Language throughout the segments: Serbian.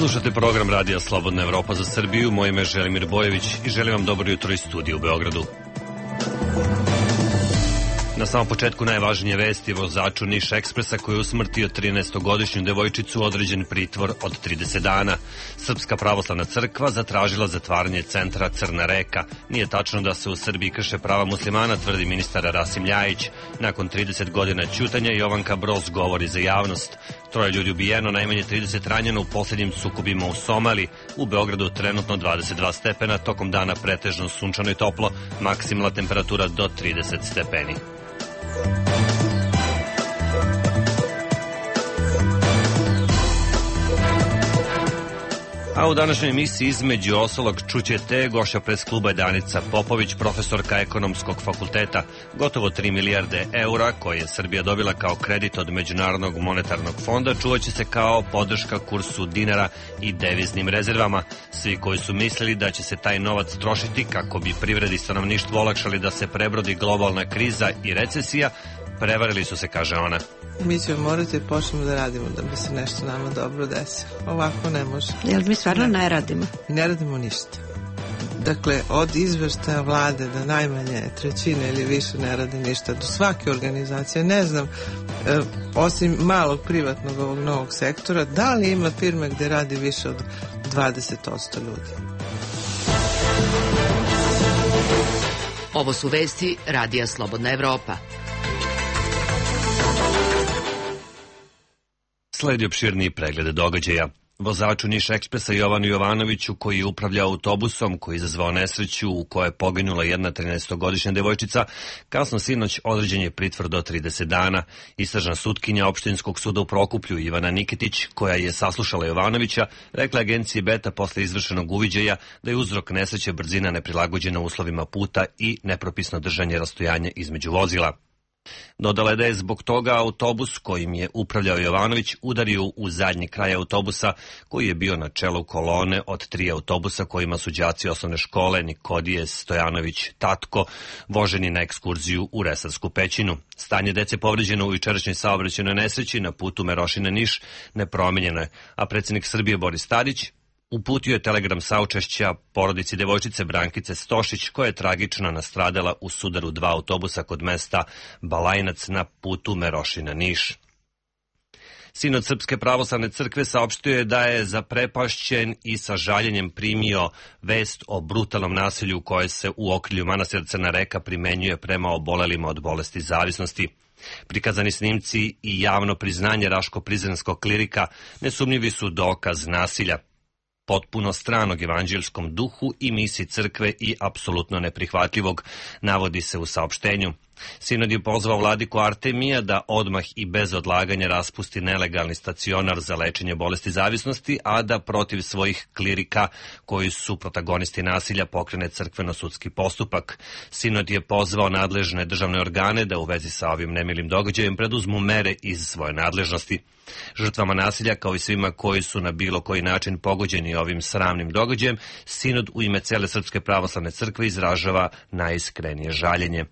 Slušate program Radija Slobodna Evropa za Srbiju. Moje ime je Želimir Bojević i želim vam dobro jutro iz studija u Beogradu. Na samom početku najvažnije vesti: vozaču Niš Ekspresa koji je usmrtio 13-godišnju devojčicu određen pritvor od 30 dana. Srpska pravoslavna crkva zatražila zatvaranje centra Crna Reka. Nije tačno da se u Srbiji krše prava muslimana, tvrdi ministar Rasim Ljajić. Nakon 30 godina ćutanja Jovanka Broz govori za javnost. 3 ljudi ubijeno, najmanje 30 ranjeno u posljednjim sukobima u Somaliji. U Beogradu trenutno 22 stepena, tokom dana pretežno sunčano i toplo, maksimalna temperatura do 30 stepeni. A u današnjoj emisiji između ostalog čućete gošća pres kluba Danica Popović, profesorka Ekonomskog fakulteta. Gotovo 3 milijarde eura koje je Srbija dobila kao kredit od Međunarodnog monetarnog fonda čuvaće se kao podrška kursu dinara i deviznim rezervama. Svi koji su mislili da će se taj novac trošiti kako bi privredi i stanovništvu olakšali da se prebrodi globalna kriza i recesija, prevarili su se, kaže ona. Mi ćemo morati počnemo da radimo da bi se nešto nama dobro desilo. Ovako ne može. Jel mi stvarno ne radimo? Ne radimo ništa. Dakle, od izveštaja vlade da najmanje trećine ili više ne radi ništa, do svake organizacije, ne znam, osim malog privatnog ovog novog sektora, da li ima firme gde radi više od 20% ljudi? Ovo su vesti Radija Slobodna Evropa. Sledi opširniji pregled događaja. Vozaču Niš Ekspresa Jovanu Jovanoviću, koji je upravljao autobusom koji je izazvao nesreću u kojoj je poginula jedna 13-godišnja devojčica, kasno sinoć određen je pritvor do 30 dana. Istražna sutkinja Opštinskog suda u Prokuplju Ivana Niketić, koja je saslušala Jovanovića, rekla agenciji Beta posle izvršenog uviđaja da je uzrok nesreće brzina neprilagođena uslovima puta i nepropisno držanje rastojanja između vozila. Dodala je da je zbog toga autobus kojim je upravljao Jovanović udario u zadnji kraj autobusa koji je bio na čelu kolone od 3 autobusa kojima su đaci osnovne škole Nikodije Stojanović Tatko voženi na ekskurziju u Resarsku pećinu. Stanje dece povređeno u jučerašnjoj saobraćajnoj nesreći na putu Merošina-Niš nepromenjeno je, a predsjednik Srbije Boris Tadić uputio je telegram saučešća porodici devojčice Brankice Stošić, koja je tragično nastradala u sudaru 2 autobusa kod mesta Balajnac na putu Merošina-Niš. Sinod Srpske pravoslavne crkve saopštio je da je zaprepašćen i sa žaljenjem primio vest o brutalnom nasilju koje se u okrilju manastira Crna Reka primenjuje prema obolelima od bolesti zavisnosti. Prikazani snimci i javno priznanje raško-prizrenskog klirika nesumnjivi su dokaz nasilja, potpuno stranog evanđelskom duhu i misiji crkve i apsolutno neprihvatljivog, navodi se u saopštenju. Sinod je pozvao vladiku Artemija da odmah i bez odlaganja raspusti nelegalni stacionar za lečenje bolesti zavisnosti, a da protiv svojih klirika koji su protagonisti nasilja pokrene crkveno-sudski postupak. Sinod je pozvao nadležne državne organe da u vezi sa ovim nemilim događajem preduzmu mere iz svoje nadležnosti. Žrtvama nasilja, kao i svima koji su na bilo koji način pogođeni ovim sramnim događajem, Sinod u ime cele Srpske pravoslavne crkve izražava najiskrenije žaljenje.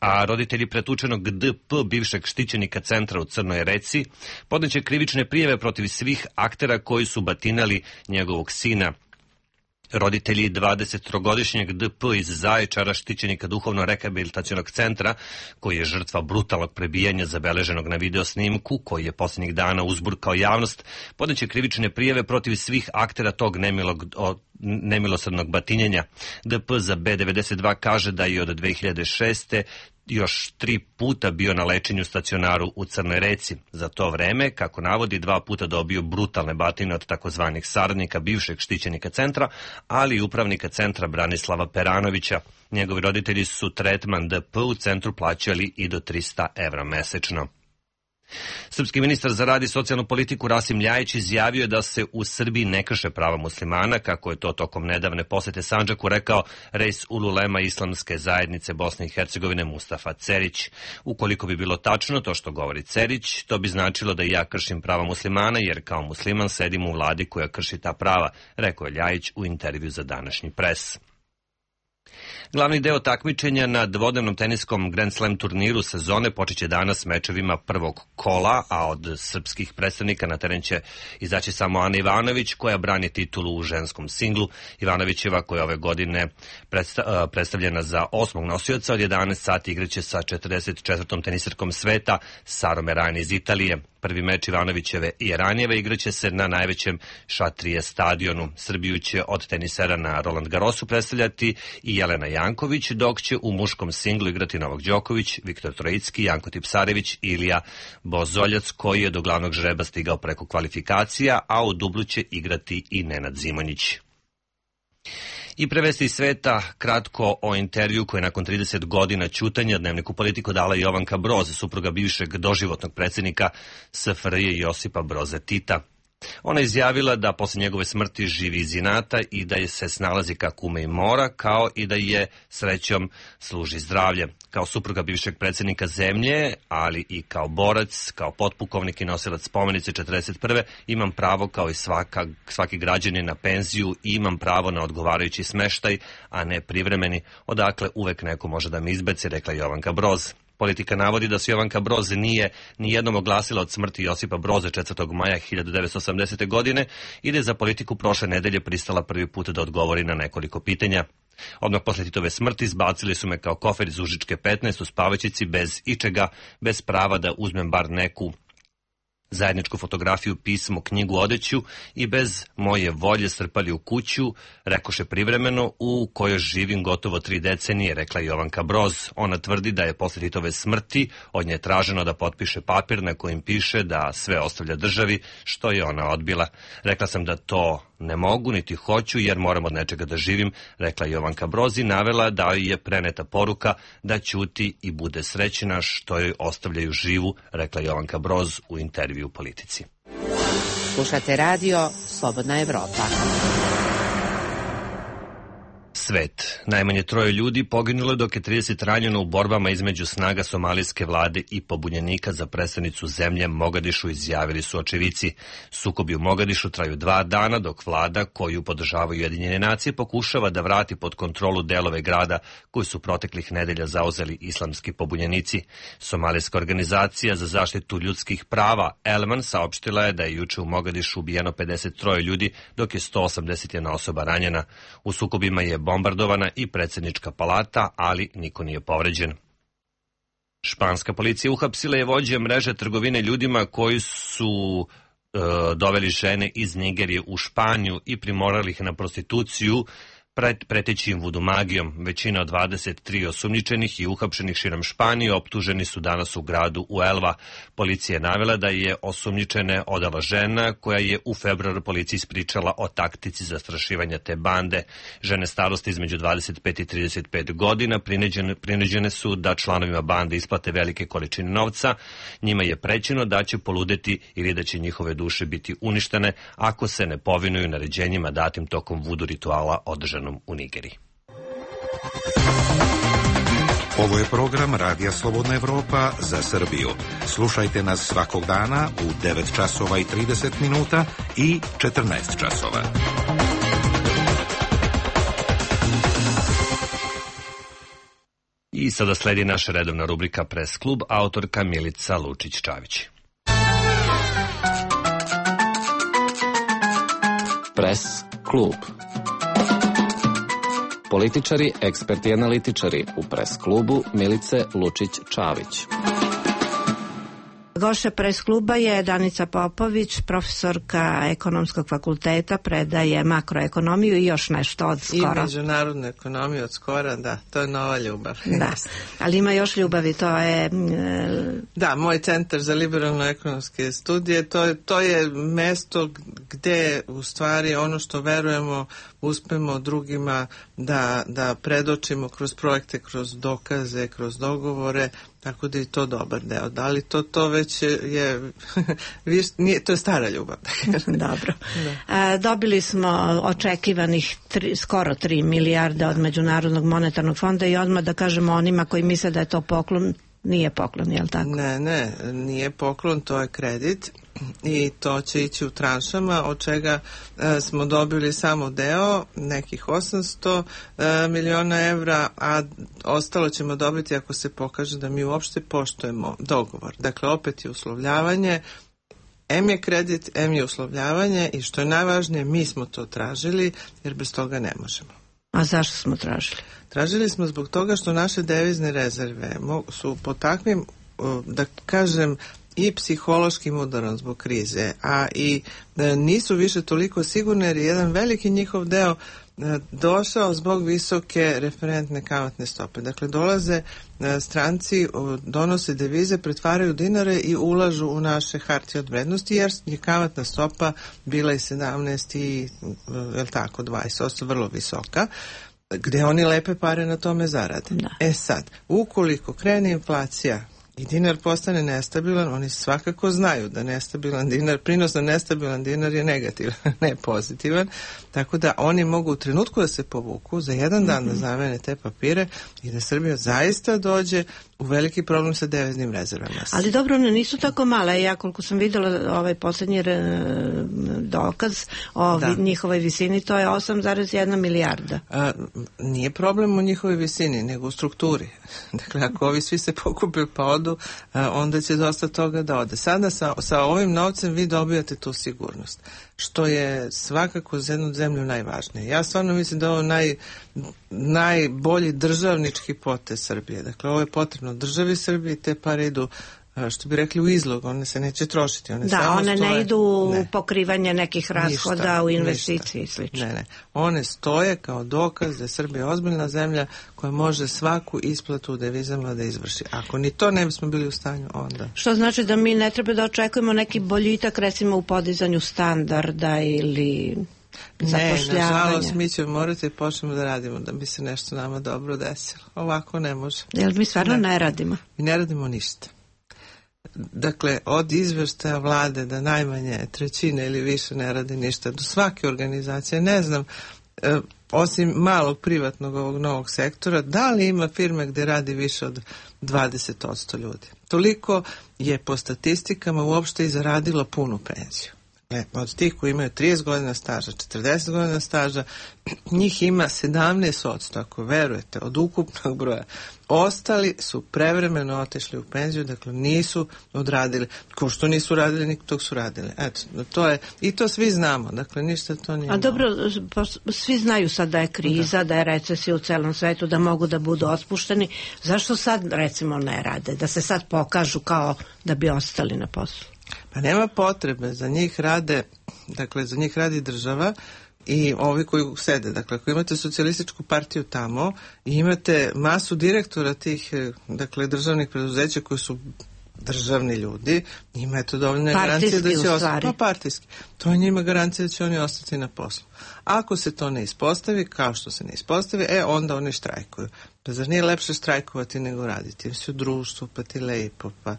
A roditelji pretučenog DP, bivšeg štićenika centra u Crnoj Reci, podneće krivične prijave protiv svih aktera koji su batinali njegovog sina. Roditelji 23-godišnjeg DP iz Zaječara, štićenika duhovno-rehabilitacionog centra, koji je žrtva brutalnog prebijanja zabeleženog na video snimku, koji je posljednjih dana uzburkao javnost, podneće krivične prijave protiv svih aktera tog nemilosrdnog batinjenja. DP za B92 kaže da je od 2006. još 3 puta bio na lečenju stacionaru u Crnoj Reci. Za to vreme, kako navodi, 2 puta dobio brutalne batine od takozvanih saradnika bivšeg štićenika centra, ali i upravnika centra Branislava Peranovića. Njegovi roditelji su tretman DP u centru plaćali i do 300 evra mesečno. Srpski ministar za rad i socijalnu politiku Rasim Ljajić izjavio je da se u Srbiji ne krše prava muslimana, kako je to tokom nedavne posete Sandžaku rekao Reis Ululema Islamske zajednice Bosne i Hercegovine Mustafa Cerić. Ukoliko bi bilo tačno to što govori Cerić, to bi značilo da i ja kršim prava muslimana, jer kao musliman sedim u vladi koja krši ta prava, rekao je Ljajić u intervju za današnji pres. Glavni deo takmičenja na dvodnevnom teniskom Grand Slam turniru sezone počeće danas mečevima prvog kola, a od srpskih predstavnika na teren će izaći samo Ana Ivanović, koja brani titulu u ženskom singlu. Ivanovićeva, koja je ove godine predstavljena za 8. nosioca, od 11 sati igraće sa 44. tenisarkom sveta Sarom Errani iz Italije. Prvi meč Ivanovićeve i Eranjeve igraće se na najvećem Šatrije stadionu. Srbiju će od tenisera na Roland Garrosu predstavljati i Jelena Janković, dok će u muškom singlu igrati Novak Đoković, Viktor Trojicki, Janko Tipsarević i Ilija Bozoljac, koji je do glavnog žreba stigao preko kvalifikacija, a u dublu će igrati i Nenad Zimonjić. I prevesti iz sveta kratko o intervju koje je nakon 30 godina ćutanja Dnevniku Politiku dala Jovanka Broz, supruga bivšeg doživotnog predsjednika SFRJ Josipa Broza Tita. Ona je izjavila da posle njegove smrti živi iz inata i da je se snalazi kako ume i mora, kao i da je srećom služi zdravlje. Kao supruga bivšeg predsjednika zemlje, ali i kao borac, kao potpukovnik i nosilac spomenice 41. imam pravo kao i svaki građanin na penziju i imam pravo na odgovarajući smeštaj, a ne privremeni, odakle uvek neko može da me izbaci, rekla Jovanka Broz. Politika navodi da se Jovanka Broz nije nijednom oglasila od smrti Josipa Broza 4. maja 1980. godine i da je za politiku prošle nedelje pristala prvi put da odgovori na nekoliko pitanja. Odmah posle Titove smrti izbacili su me kao kofer iz Užičke 15 u spavačici bez ičega, bez prava da uzmem bar neku zajedničku fotografiju, pismo, knjigu, odeću i bez moje volje strpali u kuću, rekoše privremeno, u kojoj živim gotovo 3 decenije, rekla Jovanka Broz. Ona tvrdi da je posle Titove smrti od nje traženo da potpiše papir na kojim piše da sve ostavlja državi, što je ona odbila. Rekla sam da to ne mogu, niti hoću, jer moram od nečega da živim, rekla Jovanka Broz i navela da je preneta poruka da ćuti i bude srećna što joj ostavljaju živu, rekla Jovanka Broz u intervju u Politici. Slušate radio Slobodna Evropa. Svet. Najmanje 3 ljudi poginulo dok je 30 ranjeno u borbama između snaga somalijske vlade i pobunjenika za predstavnicu zemlje Mogadišu, izjavili su očevici. Sukobi u Mogadišu traju 2 dana dok vlada, koju podržavaju Ujedinjene nacije, pokušava da vrati pod kontrolu delove grada koji su proteklih nedelja zauzeli islamski pobunjenici. Somalijska organizacija za zaštitu ljudskih prava Elman saopštila je da je juče u Mogadišu ubijeno 53 ljudi dok je 181 osoba ranjena. U sukobima je bombardovana i predsjednička palata, ali niko nije povređen. Španska policija uhapsila je vođe mreže trgovine ljudima koji su doveli žene iz Nigerije u Španiju i primorali ih na prostituciju, preteći im vudu magijom. Većina od 23 osumnjičenih i uhapšenih širom Španije optuženi su danas u gradu Uelva. Policija je navela da je osumnjičene odala žena koja je u februaru policiji ispričala o taktici zastrašivanja te bande. Žene starosti između 25 i 35 godina prinuđene su da članovima bande isplate velike količine novca. Njima je prećeno da će poludeti ili da će njihove duše biti uništene ako se ne povinuju naređenjima datim tokom vudu rituala održanog u Nigeriji. Ovo je program Radija Slobodna Evropa za Srbiju. Slušajte nas svakog dana u 9 časova i 30 minuta i 14 časova. I sada sledi naša redovna rubrika Press klub, autorka Milica Lučić-Čavić. Press klub. Političari, eksperti i analitičari u Press klubu Milice Lučić-Čavić. Gošća Press kluba je Danica Popović, profesorka ekonomskog fakulteta, predaje makroekonomiju i još nešto od skora. I međunarodnu ekonomiju od skora, da, to je nova ljubav. Da, ali ima još ljubavi, to je... Da, moj centar za liberalno-ekonomske studije, to je mesto gde u stvari ono što verujemo uspemo drugima da predočimo kroz projekte, kroz dokaze, kroz dogovore, tako da je to dobar deo. Da li to već je, to je stara ljubav. Dobro. Da. Dobili smo očekivanih skoro 3 milijarde od Međunarodnog monetarnog fonda i odmah da kažemo onima koji misle da je to poklon, nije poklon, je li tako? Ne, nije poklon, to je kredit. i to će ići u tranšama, od čega smo dobili samo deo, nekih 800 miliona evra, a ostalo ćemo dobiti ako se pokaže da mi uopšte poštujemo dogovor. Dakle, opet je uslovljavanje, M je kredit, M je uslovljavanje i što je najvažnije, mi smo to tražili jer bez toga ne možemo. A zašto smo tražili? Tražili smo zbog toga što naše devizne rezerve su po takvim, da kažem, i psihološkim udarom zbog krize, a i nisu više toliko sigurne jer je jedan veliki njihov deo došao zbog visoke referentne kamatne stope. Dakle, dolaze stranci, donose devize, pretvaraju dinare i ulažu u naše hartije od vrednosti, jer je kamatna stopa bila i 17 i 20%, vrlo visoka, gde oni lepe pare na tome zarade. Da. Sad, ukoliko krene inflacija i dinar postane nestabilan, oni svakako znaju da nestabilan dinar, prinos na nestabilan dinar je negativan, ne pozitivan, tako da oni mogu u trenutku da se povuku, za jedan dan da zamene te papire i da Srbija zaista dođe u veliki problem sa deviznim rezervama. Ali dobro, one nisu tako male. Ja koliko sam videla ovaj posljednji dokaz o njihovoj visini, to je 8,1 milijarda. Nije problem u njihovoj visini, nego u strukturi. Dakle, ako ovi svi se pokupe pa odu, onda će dosta toga da ode. Sada sa ovim novcem vi dobijate tu sigurnost, što je svakako za jednu zemlju najvažnije. Ja stvarno mislim da je ovo najbolji državnički potez Srbije. Dakle, ovo je potrebno državi Srbije, te pare idu, što bi rekli, u izlog, one se neće trošiti. One ne idu u pokrivanje nekih rashoda, u investicije i slično. Ne. One stoje kao dokaz da je Srbija ozbiljna zemlja koja može svaku isplatu u devizama da izvrši. Ako ni to ne bismo bili u stanju, onda... Što znači da mi ne treba da očekujemo neki boljitak, recimo u podizanju standarda ili... Ne, nažalost, mi ćemo morati počnemo da radimo da bi se nešto nama dobro desilo. Ovako ne može. Jel mi stvarno ne radimo? Mi ne radimo ništa. Dakle, od izveštaja vlade da najmanje trećine ili više ne radi ništa, do svake organizacije, ne znam, osim malog privatnog ovog novog sektora, da li ima firme gde radi više od 20% ljudi. Toliko je po statistikama uopšte i zaradilo punu penziju. Od tih koji imaju 30 godina staža, 40 godina staža, njih ima 17%, ako verujete, od ukupnog broja. Ostali su prevremeno otišli u penziju, dakle nisu odradili, ko što nisu radili, nikog tog su radili. Eto, to je, i to svi znamo, dakle ništa to nije. A dobro, svi znaju sad da je kriza, da je recesija u celom svetu, da mogu da budu otpušteni. Zašto sad, recimo, ne rade? Da se sad pokažu kao da bi ostali na poslu? Pa nema potrebe, za njih rade, dakle za njih radi država i ovi koji sede. Dakle, ako imate socijalističku partiju tamo i imate masu direktora tih, dakle, državnih preduzeća koji su državni ljudi, njima je to dovoljna garancija da će ostati. Pa partijski. To je njima garancija da će oni ostati na poslu. Ako se to ne ispostavi, kao što se ne ispostavi, onda oni štrajkuju. Pa zar nije lepše štrajkovati nego raditi? Si u društvu, pa ti lepo, pa...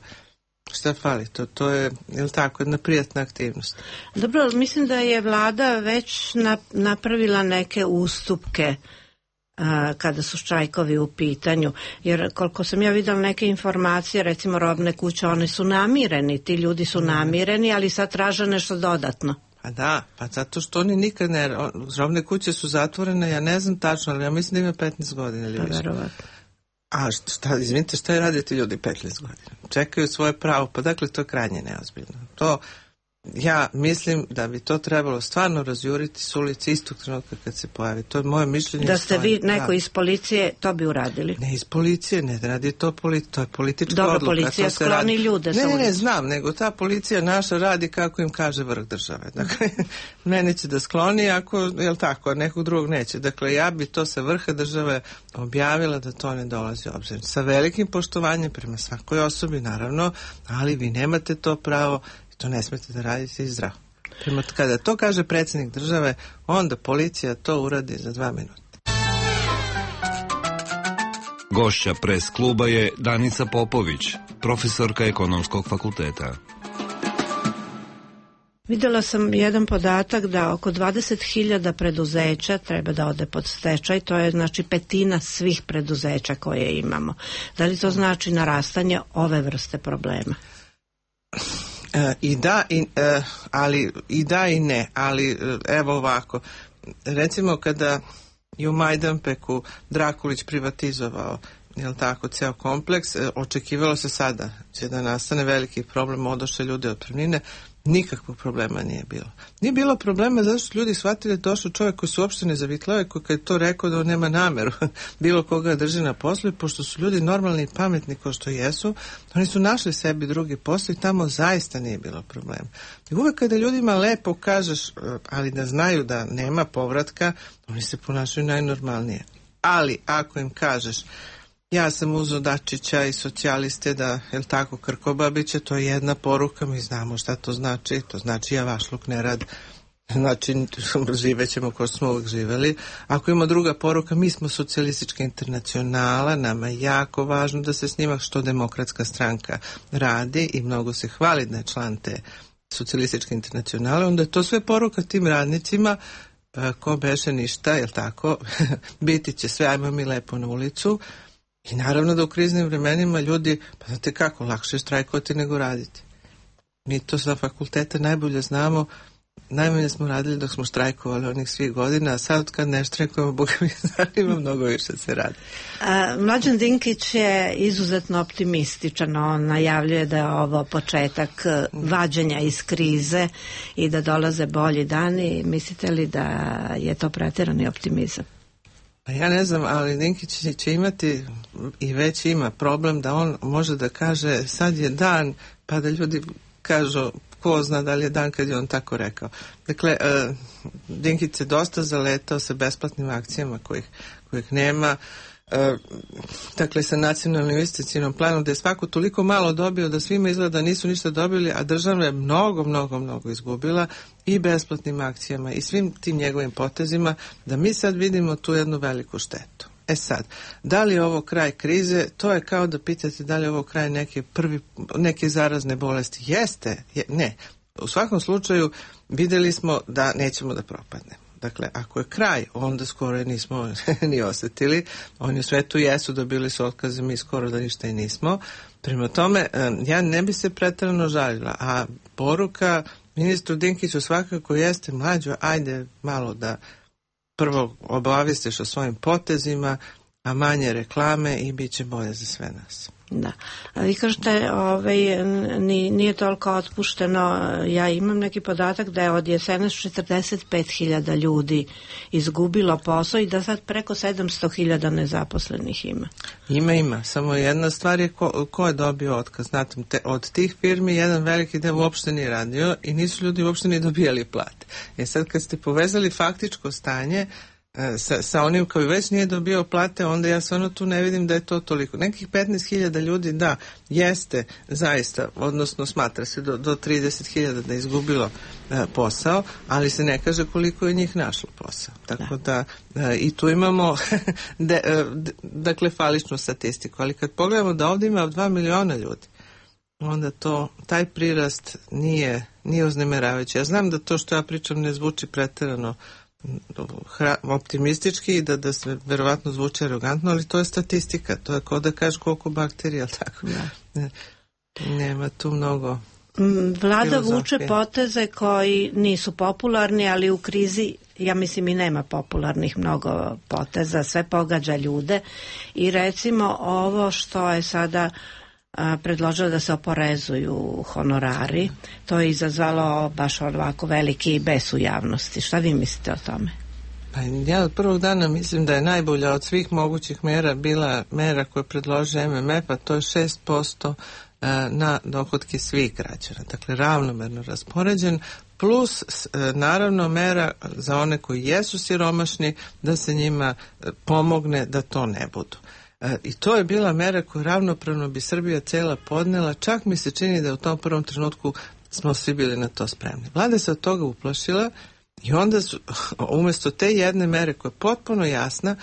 Šta fali? To je, je li tako, jedna prijatna aktivnost. Dobro, mislim da je vlada već napravila neke ustupke kada su štrajkovi u pitanju, jer koliko sam ja videla neke informacije, recimo robne kuće, one su namireni, ti ljudi su namireni, ali sad traže nešto dodatno. Pa da, pa zato što oni nikad ne, robne kuće su zatvorene, ja ne znam tačno, ali ja mislim da ima 15 godina ili više. Verovatno. A izvinite, šta je raditi ljudi 15 godina? Čekaju svoje pravo, pa dakle to je krajnje neozbiljno. To, ja mislim da bi to trebalo stvarno razjuriti s ulici istog trenutka kad se pojavi. To je moje mišljenje. Da ste vi neko iz policije, to bi uradili? Ne iz policije, ne radi to to je politička odluka. Dobro, policija skloni ljude sa ulici. Ne, znam, nego ta policija naša radi kako im kaže vrh države. Dakle, mene će da skloni ako, jel tako, a nekog drugog neće. Dakle, ja bi to sa vrha države objavila da to ne dolazi u obzir. Sa velikim poštovanjem prema svakoj osobi, naravno, ali vi nemate to pravo. To ne smete da radite i zdravo. Kada to kaže predsjednik države, onda policija to uradi za 2 minuta. Gošća Pres kluba je Danica Popović, profesorka Ekonomskog fakulteta. Videla sam jedan podatak da oko 20.000 preduzeća treba da ode pod stečaj, to je znači 1/5 svih preduzeća koje imamo. Da li to znači narastanje ove vrste problema? I da i ne, ali evo ovako, recimo kada je u Majdanpeku Drakulić privatizovao, jel tako, ceo kompleks, očekivalo se sada će da nastane veliki problem, odošle ljude otpremnine, nikakvog problema nije bilo. Nije bilo problema zato što ljudi shvatili da došao čovjek koji su uopšte ne zavitlao, koji kad je to rekao da on nema nameru bilo koga drži na poslu, pošto su ljudi normalni i pametni kao što jesu, oni su našli sebi drugi posao i tamo zaista nije bilo problema. I uvek kada ljudima lepo kažeš, ali da znaju da nema povratka, oni se ponašaju najnormalnije. Ali ako im kažeš ja sam uzeo Dačića i socijaliste da, jel tako, Krkobabića, to je jedna poruka, mi znamo šta to znači, to znači javašluk, nerad, znači živećemo kao smo uvijek živeli. Ako ima druga poruka, mi smo socijalistička internacionala, nama je jako važno da se s njima što Demokratska stranka radi i mnogo se hvali da je član te socijalističke internacionale, onda je to sve poruka tim radnicima, ko beše ništa, jel tako, biti će sve, ajmo mi lepo na ulicu. I naravno da u kriznim vremenima ljudi, pa znate kako, lakše je štrajkovati nego raditi. Mi to sa fakulteta najbolje znamo, najmanje smo radili dok smo štrajkovali onih svih godina, a sad kad ne štrajkujemo, Boga mi zanima, mnogo više se radi. Mlađan Dinkić je izuzetno optimističan, on najavljuje da je ovo početak vađenja iz krize i da dolaze bolji dani. Mislite li da je to preterani optimizam? Ja ne znam, ali Dinkić će imati i već ima problem da on može da kaže sad je dan, pa da ljudi kažu ko zna da li je dan kad je on tako rekao. Dakle, Dinkić se dosta zaletao sa besplatnim akcijama kojih nema, dakle sa nacionalnim investicijnom planom da je svako toliko malo dobio da svima izgleda da nisu ništa dobili, a država je mnogo izgubila i besplatnim akcijama i svim tim njegovim potezima, da mi sad vidimo tu jednu veliku štetu. E sad, da li je ovo kraj krize? To je kao da pitate da li je ovo kraj neke zarazne bolesti. Jeste, ne. U svakom slučaju vidjeli smo da nećemo da propadnemo. Dakle, ako je kraj, onda skoro nismo ni osjetili. Oni u svetu jesu, dobili su otkaze, mi skoro da ništa i nismo. Prema tome, ja ne bi se preterano žalila, a poruka ministru Dinkiću svakako jeste mlađo, ajde malo da prvo obavistiš o svojim potezima, a manje reklame i bit će bolje za sve nas. Da. A vi kažete, nije toliko otpušteno. Ja imam neki podatak da je od jesenas 45.000 ljudi izgubilo posao i da sad preko 700.000 nezaposlenih ima. Ima. Samo jedna stvar je ko je dobio otkaz. Znate, od tih firmi jedan veliki deo uopšte nije radio i nisu ljudi uopšte ni dobijali plate. Sad kad ste povezali faktičko stanje sa onim koji već nije dobio plate, onda ja stvarno tu ne vidim da je to toliko. Nekih 15.000 ljudi, da, jeste zaista, odnosno smatra se do 30.000 da je izgubilo posao, ali se ne kaže koliko je njih našlo posao. Tako da i tu imamo dakle faličnu statistiku, ali kad pogledamo da ovdje ima 2 miliona ljudi, onda taj prirast nije uznemiravajući. Ja znam da to što ja pričam ne zvuči preterano optimistički i da se verovatno zvuči arogantno, ali to je statistika, to je kao da kažeš koliko bakterija, tako nema tu mnogo. Vlada vuče poteze koji nisu popularni, ali u krizi ja mislim i nema popularnih mnogo poteza, sve pogađa ljude i recimo ovo što je sada predložila da se oporezuju honorari, to je izazvalo baš ovako veliki bes u javnosti. Šta vi mislite o tome? Pa ja od prvog dana mislim da je najbolja od svih mogućih mera bila mera koju predloži MMF, a to je 6% na dohotke svih građana. Dakle, ravnomerno raspoređen, plus naravno mera za one koji jesu siromašni, da se njima pomogne da to ne budu. I to je bila mera koju ravnopravno bi Srbija cela podnela, čak mi se čini da u tom prvom trenutku smo svi bili na to spremni. Vlada se od toga uplašila i onda su, umjesto te jedne mere koja je potpuno jasna,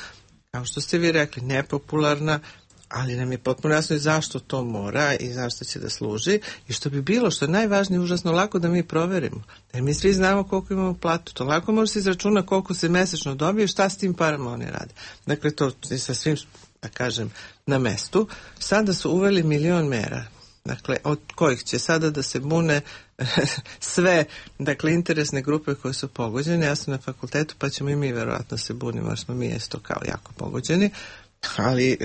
kao što ste vi rekli, nepopularna, ali nam je potpuno jasno i zašto to mora i zašto će da služi i što bi bilo, što je najvažnije, užasno lako da mi proverimo. Jer mi svi znamo koliko imamo platu. To lako može se izračuna koliko se mesečno dobije, šta s tim parama oni rade. Dakle, to je sa svim, da kažem, na mestu. Sada su uveli 1.000.000 mera. Dakle, od kojih će sada da se bune sve, dakle, interesne grupe koje su pogođene. Ja sam na fakultetu, pa ćemo i mi verovatno se bunimo, jer smo mi isto kao jako pogođeni, ali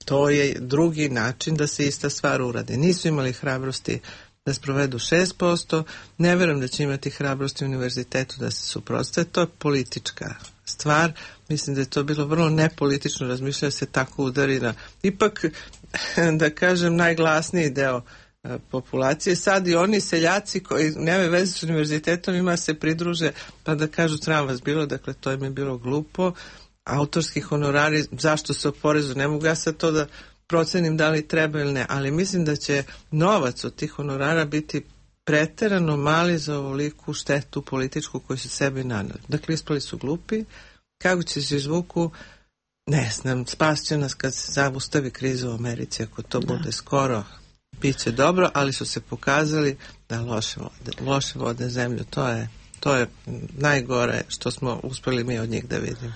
to je drugi način da se ista stvar uradi. Nisu imali hrabrosti da sprovedu 6%, ne verujem da će imati hrabrosti u univerzitetu da se suprotstave, to je politička stvar. Mislim da je to bilo vrlo nepolitično razmišljati se tako udari na, ipak, da kažem, najglasniji deo populacije. Sad i oni seljaci koji nemaju veze s univerzitetom ima se pridruže pa da kažu sram vas bilo, dakle to im je bilo glupo. Autorski honorari, zašto se oporezu, ne mogu ja sad to da procenim da li treba ili ne, ali mislim da će novac od tih honorara biti preterano mali za ovoliku štetu političku koju su sebi naneli. Dakle, ispali su glupi, kako će se izvuku, ne znam, spas će nas kad se zaustavi kriza u Americi, ako to bude skoro, bit će dobro, ali su se pokazali da loše vode zemlju, to je najgore što smo uspeli mi od njih da vidimo.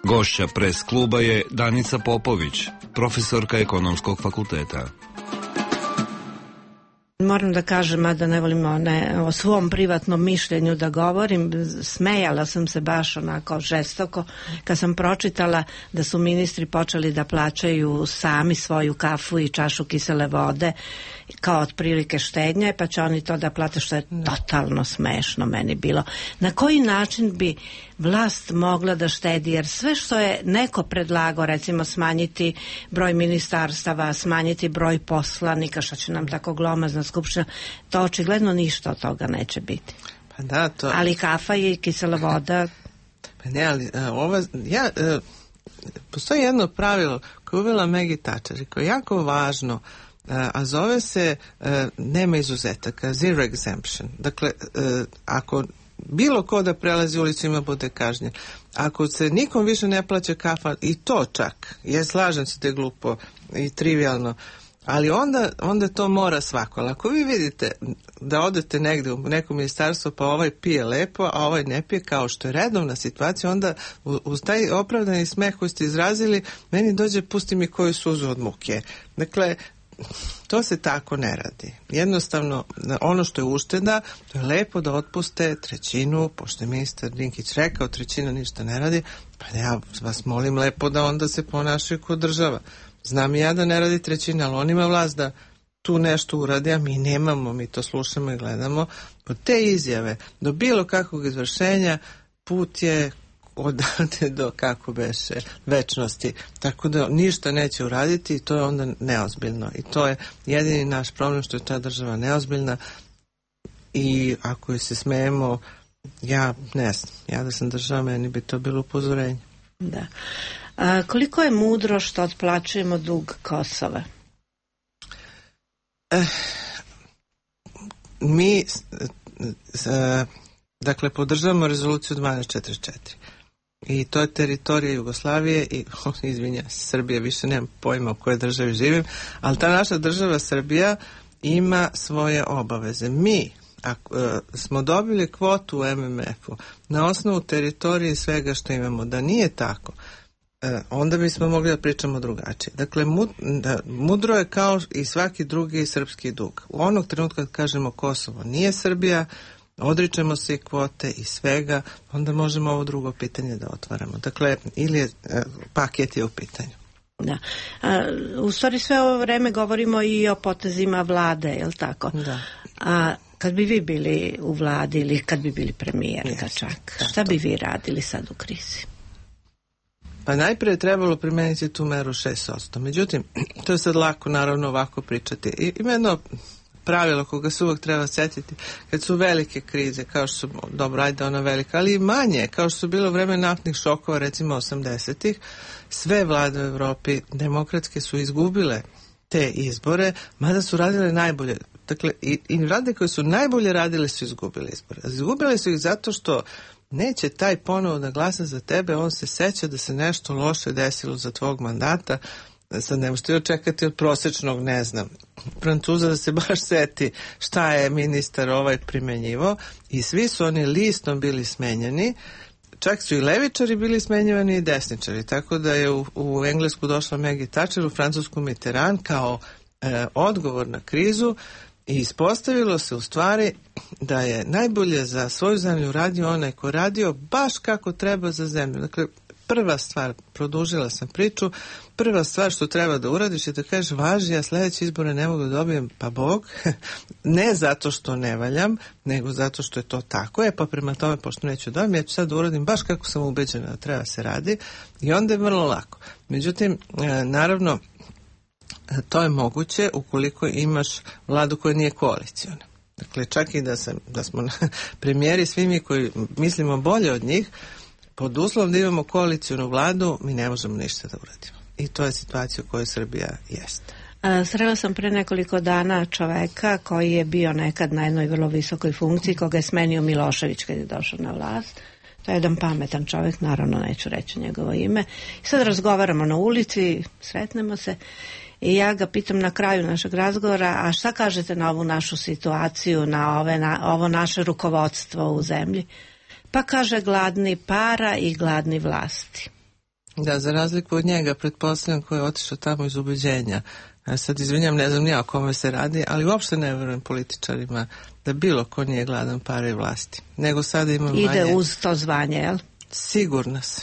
Gošća Pres kluba je Danica Popović, profesorka Ekonomskog fakulteta. Moram da kažem, mada ne volim o svom privatnom mišljenju da govorim, smejala sam se baš onako žestoko kad sam pročitala da su ministri počeli da plaćaju sami svoju kafu i čašu kisele vode kao otprilike štednje, pa će oni to da plate, što je totalno smešno meni bilo. Na koji način bi vlast mogla da štedi, jer sve što je neko predlagao, recimo smanjiti broj ministarstava, smanjiti broj poslanika, što će nam tako glomazna skupština, to očigledno ništa od toga neće biti. Pa da, to... Ali kafa i kisela voda... Pa ne, ali postoji jedno pravilo koje uvela Maggie Thatcher i koje je jako važno, a zove se nema izuzetaka, zero exemption. Dakle, ako bilo ko da prelazi ulicu ima bude kažnjen. Ako se nikom više ne plaća kafa, i to čak, ja slažem se da je glupo i trivialno, ali onda to mora svako. Ali ako vi vidite da odete negde u neko ministarstvo pa ovaj pije lepo, a ovaj ne pije, kao što je redovna situacija, onda uz taj opravdani smeh koji ste izrazili, meni dođe pusti mi koju suzu od muke. Dakle, to se tako ne radi. Jednostavno, ono što je ušteda, to je lepo da otpuste trećinu, pošto je ministar Dinkić rekao, trećina ništa ne radi, pa ja vas molim lepo da onda se ponašaju kod država. Znam i ja da ne radi trećina, ali on ima vlast da tu nešto uradi, a mi nemamo, mi to slušamo i gledamo. Od te izjave do bilo kakvog izvršenja put je odavde do, kako beše, večnosti. Tako da ništa neće uraditi i to je onda neozbiljno. I to je jedini naš problem, što je ta država neozbiljna i ako je se smejemo, ja ne znam, ja da sam država, meni bi to bilo upozorenje. Da. A koliko je mudro što otplaćujemo dug Kosova? Mi dakle podržavamo rezoluciju 1244 i to je teritorija Jugoslavije i izvinja, Srbija, više nemam pojma u kojoj državi živim, ali ta naša država Srbija ima svoje obaveze. Mi smo dobili kvotu u MMF-u na osnovu teritorije i svega što imamo. Da nije tako, onda bismo mogli da pričamo drugačije. Dakle, mudro je kao i svaki drugi srpski dug. U onog trenutka kad kažemo Kosovo nije Srbija, odričemo se i kvote i svega, onda možemo ovo drugo pitanje da otvaramo. Dakle, ili je, paket je u pitanju. Da. U stvari sve ovo vreme govorimo i o potezima vlade, je li tako? Da. A kad bi vi bili u vladi ili kad bi bili premijerka čak, šta bi vi radili sad u krizi? Pa najprije je trebalo primeniti tu meru 6%. Međutim, to je sad lako naravno ovako pričati. Ima jedno pravilo koga se uvek treba sjetiti kad su velike krize, kao što su, dobro, ajde ona velika, ali i manje, kao što su bilo vreme naftnih šokova, recimo 80-ih, sve vlade u Evropi demokratske su izgubile te izbore, mada su radile najbolje. Dakle, i vlade koje su najbolje radile su izgubile izbore. Izgubile su ih zato što neće taj ponovo da glasa za tebe, on se seća da se nešto loše desilo za tvog mandata. Sad ne možete očekati od prosječnog, ne znam, Francuza da se baš seti šta je ministar ovaj primenjivo, i svi su oni listom bili smenjeni, čak su i levičari bili smenjivani i desničari, tako da je u Englesku došla Maggie Thatcher, u Francusku Mitterrand kao odgovor na krizu i ispostavilo se u stvari da je najbolje za svoju zemlju radio onaj ko radio baš kako treba za zemlju. Dakle, prva stvar, produžila sam priču, prva stvar što treba da uradiš je da kažeš važi, ja sledeće izbore ne mogu da dobijem, pa Bog, ne zato što ne valjam, nego zato što je to tako, pa prema tome, pošto neću dobijem, ja ću sad da uradim baš kako sam ubeđena da treba se radi i onda je vrlo lako. Međutim, naravno, to je moguće ukoliko imaš vladu koja nije koaliciona. Dakle, čak i da smo premijeri, svi mi koji mislimo bolje od njih, pod uslovom da imamo koalicionu vladu, mi ne možemo ništa da uradimo. I to je situacija u kojoj Srbija jeste. Srela sam pre nekoliko dana čoveka koji je bio nekad na jednoj vrlo visokoj funkciji, koga je smenio Milošević kad je došao na vlast. To je jedan pametan čovjek, naravno neću reći njegovo ime. I sad razgovaramo na ulici, sretnemo se i ja ga pitam na kraju našeg razgovora, a šta kažete na ovu našu situaciju, na ovo naše rukovodstvo u zemlji? Pa kaže gladni para i gladni vlasti. Da, za razliku od njega, pretpostavljam koji je otišao tamo iz ubeđenja. Ja sad izvinjam, ne znam ni o kome se radi, ali uopšte ne verujem političarima da bilo ko nije gladan para i vlasti. Nego sada imam ide uz to zvanje, jel? Sigurno se.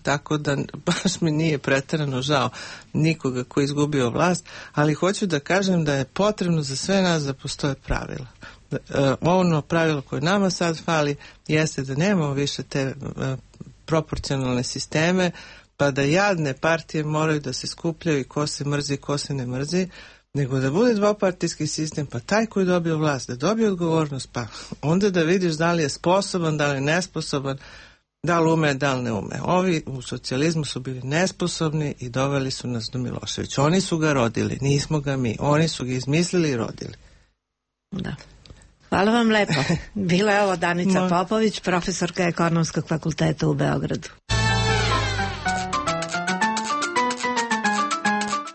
Tako da baš mi nije preterano žao nikoga ko je izgubio vlast, ali hoću da kažem da je potrebno za sve nas da postoje pravila. Ono pravilo koje nama sad fali jeste da nemamo više te proporcionalne sisteme, pa da jadne partije moraju da se skupljaju i ko se mrzi, ko se ne mrzi, nego da bude dvopartijski sistem, pa taj koji dobio vlast da dobije odgovornost, pa onda da vidiš da li je sposoban, da li je nesposoban, da li ume, da li ne ume. Ovi u socijalizmu su bili nesposobni i doveli su nas do Miloševića. Oni su ga rodili, nismo ga mi. Oni su ga izmislili i rodili. Da. Hvala vam lepo. Bila je ovo Danica Popović, profesorka Ekonomskog fakulteta u Beogradu.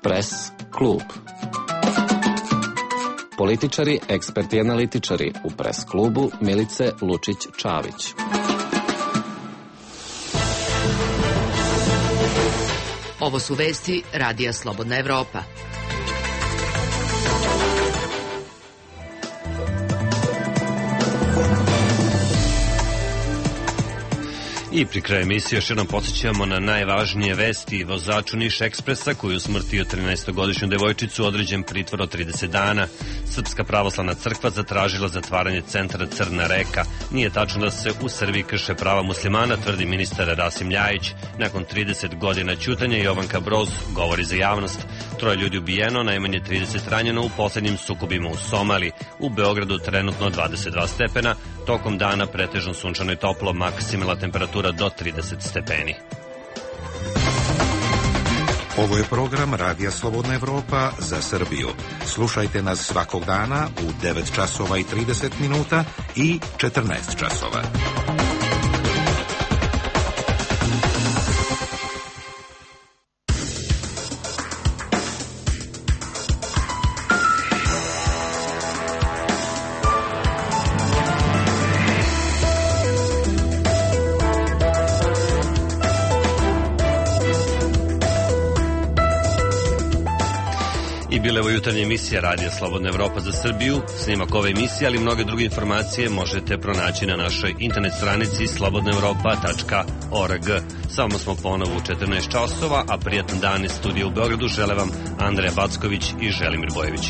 Pres klub. Političari, eksperti i analitičari u Pres klubu Milice Lučić-Čavić. Ovo su vesti Radija Slobodna Evropa. I pri kraju emisije još jednom podsjećamo na najvažnije vesti. Vozaču Niš Ekspresa koji usmrtio 13-godišnju devojčicu određen pritvor od 30 dana. Srpska pravoslavna crkva zatražila zatvaranje centra Crna reka. Nije tačno da se u Srbiji krše prava muslimana, tvrdi ministar Rasim Ljajić. Nakon 30 godina ćutanja Jovanka Broz govori za javnost. 3 ljudi ubijeno, najmanje 30 ranjeno u poslednjim sukobima u Somaliji. U Beogradu trenutno 22 stepena, tokom dana pretežno sunčano i toplo, maksimalna temperatura do 30 stepeni. Ovo je program Radija Slobodna Evropa za Srbiju. Slušajte nas svakog dana u 9 časova i 30 minuta i 14 časova. Bila je ovo jutarnja emisija Radija Slobodna Evropa za Srbiju. Snimak ove emisije, ali i mnoge druge informacije možete pronaći na našoj internet stranici slobodnaevropa.org. Samo smo ponovo u 14 časova, a prijatan dan iz studija u Beogradu žele vam Andreja Backović i Želimir Bojević.